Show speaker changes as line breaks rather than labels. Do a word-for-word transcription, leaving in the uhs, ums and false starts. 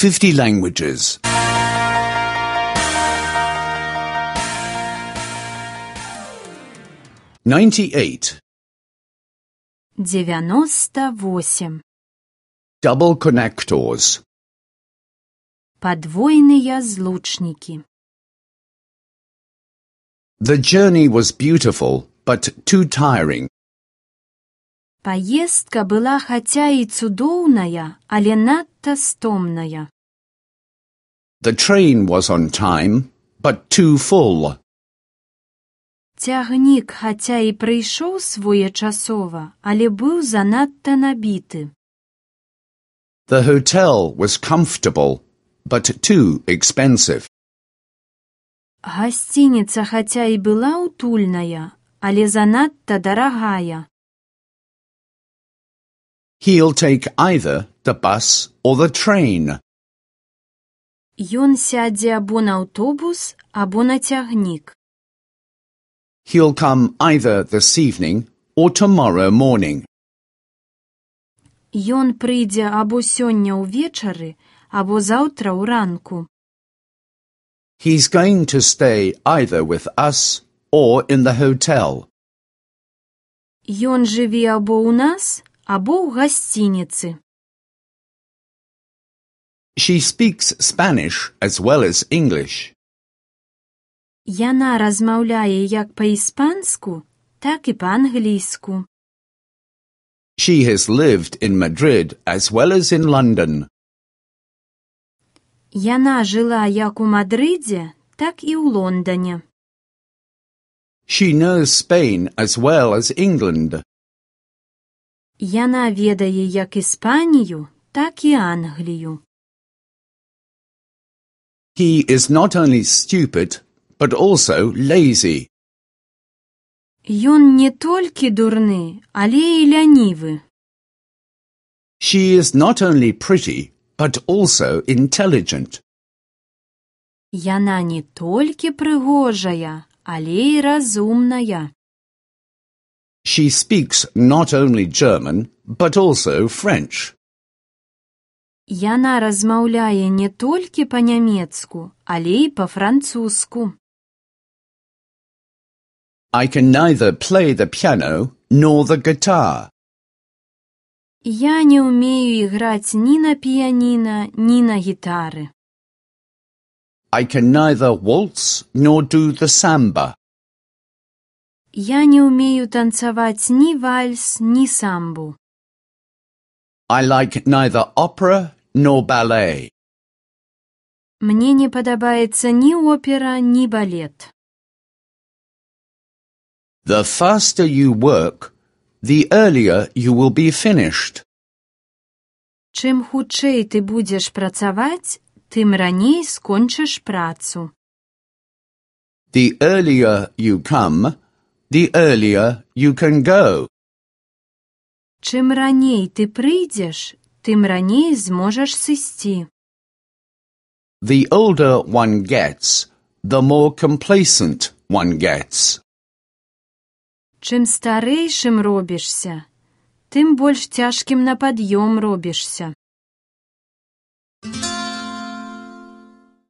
fifty languages. ninety-eight.
девяносто восемь.
Double connectors.
Подвойные злучники.
The journey was beautiful, but too tiring.
Поездка была хаця і цудоўная, але надта стомная.
The train was on time, but too full.
Цягнік хаця і прыйшоў своечасова, але быў занадта набіты.
The hotel was comfortable, but too expensive.
Гасцініца хаця і была утульная, але занадта дарагая.
He'll take either the bus or the train.
Ён сядзе або на аўтобус, або на цягнік.
He'll come either this evening or tomorrow morning.
Ён прыйдзе або сёння ўвечары, або заўтра ўранку.
He's going to stay either with us or in the hotel.
Ён жыве або ў нас, або ў гасцініцы.
She speaks Spanish as well as English.
Яна размаўляе як па-іспанску, так і па-англійску.
She has lived in Madrid as well as in London.
Яна жыла як у Мадрыдзе, так і ў Лондане.
She knows Spain as well as England.
Яна ведае як Іспанію, так і Англію.
He is not only stupid, but also lazy.
Ён не толькі дурны, але і лянівы.
She is not only pretty, but also intelligent.
Яна не толькі прыгожая, але і разумная.
She speaks not only German, but also French.
Яна размаўляе не толькі па-нямецку, але і па-французску.
I can neither play the piano nor the guitar.
Я не ўмею іграць ні на піяніна, ні на гітары.
I can neither waltz nor do the samba.
Я не ўмею танцаваць ні вальс, ні самбу.
I like neither opera nor ballet.
Мне не падабаецца ні опера, ні балет.
The faster you work, the earlier you will be finished.
Чым хутчэй ты будзеш працаваць, тым раней скончыш працу.
The earlier you come, the earlier you can go.
Чым раней ты прыйдзеш, тым раней зможаш сысці.
The older one gets, the more complacent one gets.
Чым старэйшым робішся, тым больш цяжкім на пад'ём робішся.